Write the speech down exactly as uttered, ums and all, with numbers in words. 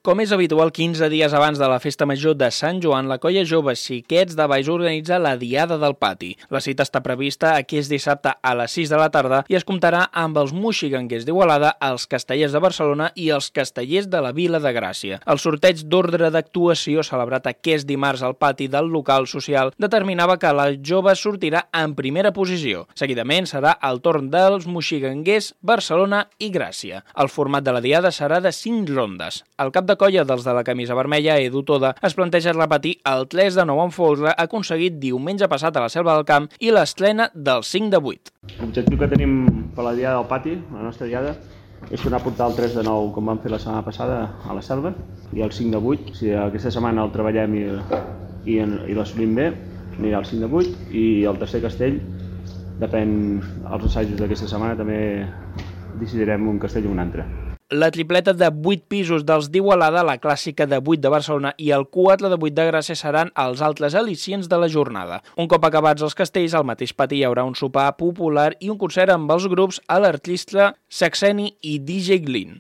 Com és habitual, quinze dies abans de la festa major de Sant Joan, la colla jove Xiquets de Baix organitza la Diada del Pati. La cita està prevista aquest dissabte a les sis de la tarda i es comptarà amb els moxiganguers d'Igualada, els castellers de Barcelona i els castellers de la Vila de Gràcia. El sorteig d'ordre d'actuació celebrat aquest dimarts al pati del local social determinava que la jove sortirà en primera posició. Seguidament serà el torn dels moxiganguers, Barcelona i Gràcia. El format de la Diada serà de cinc rondes. El cap de colla dels de la camisa vermella, Edu Toda, es planteja repetir el tres de nou en folre aconseguit diumenge passat a la Selva del Camp i l'estrena del cinc de vuit. L'objectiu que tenim per la Diada del Pati, la nostra Diada, és tornar a portar el tres de nou com vam fer la setmana passada a la Selva i el cinc de vuit. Si aquesta setmana el treballem i, i, i l'assolim bé, anirà el cinc de vuit, i el tercer castell, depèn dels assajos d'aquesta setmana, també decidirem un castell o un altre. La tripleta de vuit pisos dels d'Igualada, la clàssica de vuit de Barcelona i el quatre de vuit de Gràcia seran els altres al·licients de la jornada. Un cop acabats els castells, al mateix pati hi haurà un sopar popular i un concert amb els grups A l'Artista, Saxeni i D J Glyn.